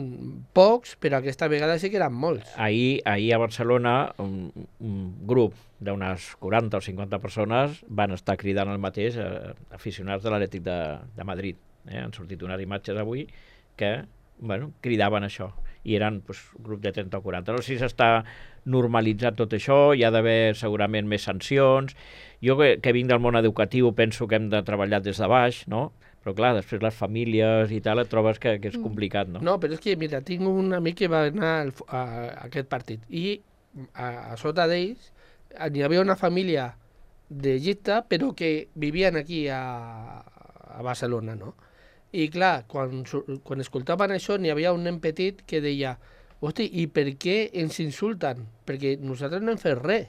pocs, però aquesta vegada sí que eren molts. Ahir, ahir a Barcelona un, un grup d'unes quaranta o cinquanta persones van estar cridant el mateix eh, aficionats de l'Atlètic de, de Madrid. Eh? Han sortit unes imatges avui que bueno, cridaven això, i eren pues, un grup de trenta o quaranta. No sé si s'està normalitzat tot això, hi ha d'haver segurament més sancions. Jo que, que vinc del món educatiu penso que hem de treballar des de baix, no? Però clar, després les famílies i tal et trobes que, que és complicat, no? No, però és que, mira, tinc un amic que va anar al, a, a aquest partit i a, a sota d'ells hi havia una família d'Egipte però que vivien aquí a, a Barcelona, no? I clar, quan, quan escoltaven això n'hi havia un nen petit que deia hosti, i per què ens insulten? Perquè nosaltres no hem fet res.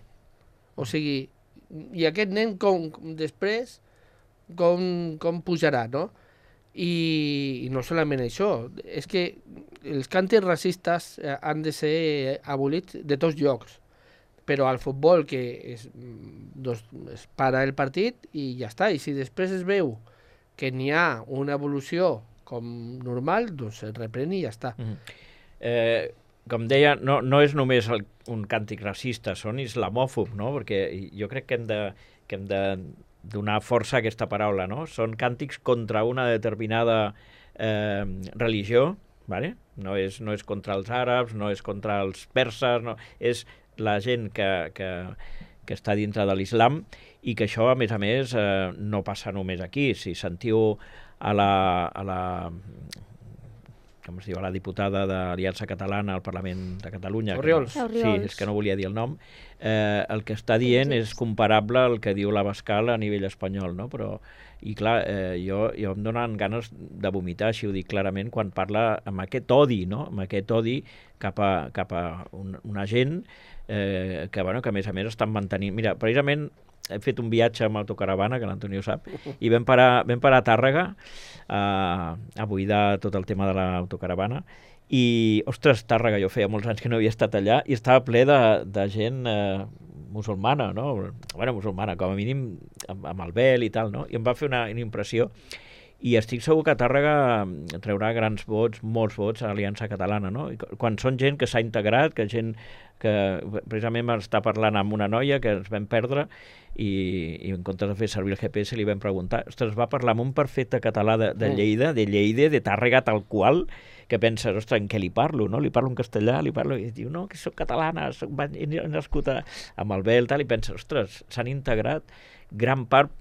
O sigui, i aquest nen com, després com, com pujarà, no? I, i no solament això, és que els càntics racistes han de ser abolits de tots llocs, però al futbol que es, doncs, es para el partit i ja està, i si després es veu que n'hi ha una evolució com normal, doncs es reprèn i ja està. Mm-hmm. eh, com deia, no, no és només el, un càntic racista, són islamòfob, no? Perquè jo crec que hem de, que hem de donar força a aquesta paraula, no? Són càntics contra una determinada eh, religió, ¿vale? No és, no és contra els àrabs, no és contra els perses, no, és la gent que, que, que està dintre de l'islam, i que això, a més a més, eh, no passa només aquí. Si sentiu a la, a la, com es diu, a la diputada d'Aliança Catalana al Parlament de Catalunya... Orriols. Que, sí, és que no volia dir el nom. Eh, el que està dient és comparable al que diu l'Abascal a nivell espanyol, no? Però, i clar, eh, jo, jo em donen ganes de vomitar, així ho dic clarament, quan parla amb aquest odi, no? Amb aquest odi cap a, cap a un, una gent eh, que, bueno, que a més a més estan mantenint... Mira, precisament hem fet un viatge amb autocaravana, que l'Antoni ho sap, i vam parar, vam parar a Tàrrega eh, a buidar tot el tema de l'autocaravana, i, ostres, Tàrrega, jo feia molts anys que no havia estat allà, i estava ple de, de gent eh, musulmana, no? Bueno, musulmana, com a mínim amb, amb el vel i tal, no? I em va fer una, una impressió, i estic segur que Tàrrega traurà grans vots, molts vots a l'Aliança Catalana, no? I quan són gent que s'ha integrat, que gent que precisament m'està parlant amb una noia que ens vam perdre i, i en comptes de fer servir el G P S li vam preguntar, ostres, va parlar amb un perfecte català de, de Lleida, de Lleida, de Tàrrega tal qual, que penses, ostres, en què li parlo, no? Li parlo en castellà, li parlo... I diu, no, que soc catalana, soc... he nascut a... amb el vel, tal, i penses, ostres, s'han integrat gran part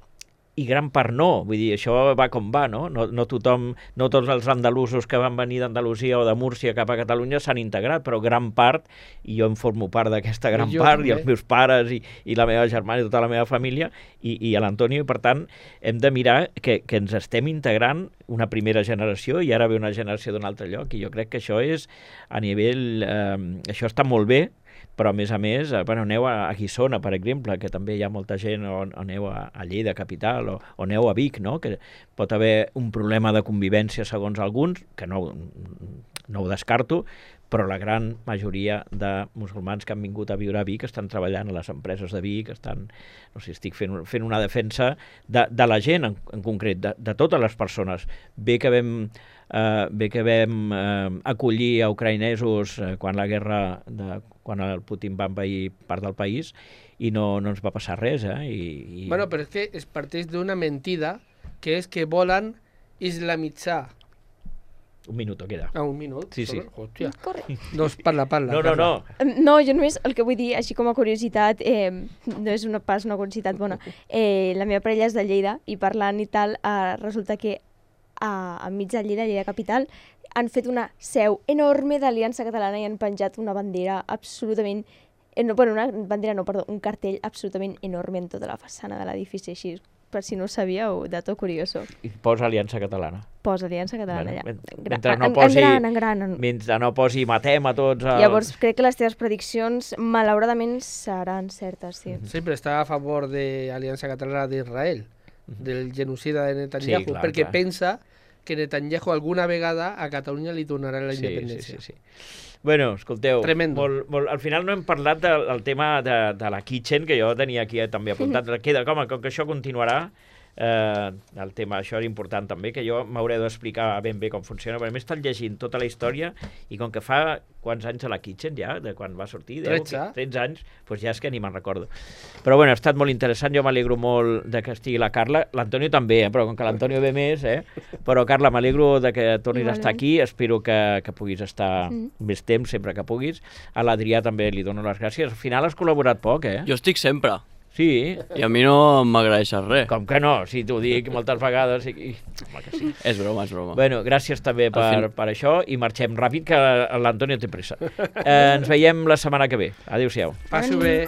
i gran part no, vull dir, això va com va, no? No, no tothom, no tots els andalusos que van venir d'Andalusia o de Múrcia cap a Catalunya s'han integrat, però gran part, i jo em formo part d'aquesta gran I part, també. i els meus pares, i, i la meva germana i tota la meva família, i, i a l'Antonio, i per tant, hem de mirar que, que ens estem integrant una primera generació i ara ve una generació d'un altre lloc, i jo crec que això és a nivell... Eh, això està molt bé, però a més a més, eh, bueno, aneu a, a Guissona, per exemple, que també hi ha molta gent, o, o aneu a, a Lleida capital, o, o aneu a Vic, no? Que pot haver un problema de convivència segons alguns, que no, no ho descarto, però la gran majoria de musulmans que han vingut a viure a Vic estan treballant a les empreses de Vic, estan, no sé, estic fent, fent una defensa de, de la gent en, en concret, de, de totes les persones. Bé que vam, eh, bé que vam eh, acollir a ucraïnesos eh, quan la guerra, de, quan el Putin va envair part del país i no, no ens va passar res. Eh? I, i... Bueno, però és que es parteix d'una mentida que és que volen islamitzar. Un minut queda. Ah, un minut? Sí, sí. Hòstia. Correcte. Doncs parla, parla. No, no, no. No, jo només el que vull dir, així com a curiositat, eh, no és una pas una curiositat bona, eh, la meva parella és de Lleida i parlant i tal, eh, resulta que a, enmig de Lleida, Lleida capital, han fet una seu enorme d'Aliança Catalana i han penjat una bandera absolutament... Eh, no, bueno, una bandera no, perdó, un cartell absolutament enorme en tota la façana de l'edifici, així, per si no ho sabíeu, dato curioso. I posa Aliança Catalana. Posa Aliança Catalana Bueno, allà. men- En, mentre no en, posi- en gran, en gran. En... Mentre no posi matem a tots... Els... Llavors, crec que les teves prediccions, malauradament, seran certes, sí. Sí, però està a favor de l'Aliança Catalana d'Israel, del genocida de Netanyahu, Sí, clar, perquè clar. pensa que Netanyahu alguna vegada a Catalunya li donarà la Sí, independència. sí, sí, sí. Bueno, escolteu, Tremendo. molt, molt, al final no hem parlat del, del tema de, de la kitchen, que jo tenia aquí eh, també apuntat. Queda, com, com que això continuarà, eh, el tema, això era important també, que jo m'hauré d'explicar ben bé com funciona, perquè m'he estat llegint tota la història i com que fa quants anys a la kitchen ja, de quan va sortir? deu, tretze. tretze anys, doncs ja és que ni me'n recordo. Però bueno, ha estat molt interessant, jo m'alegro molt de que estigui la Carla, l'Antonio també, eh? Però com que l'Antonio ve més, eh? Però Carla, m'alegro de que tornis Igualment. a estar aquí, espero que, que puguis estar Mm. més temps, sempre que puguis. A l'Adrià també li dono les gràcies. Al final has col·laborat poc, eh? Jo estic sempre, Sí, i a mi no m'agraeixes res. com que no, si t'ho dic moltes vegades. I... i- Home, que sí. És broma, és broma. Bueno, gràcies també per, fin- per això i marxem ràpid, que l'Antonio té pressa. Eh, ens veiem la setmana que ve. Adéu-siau. Passo bé.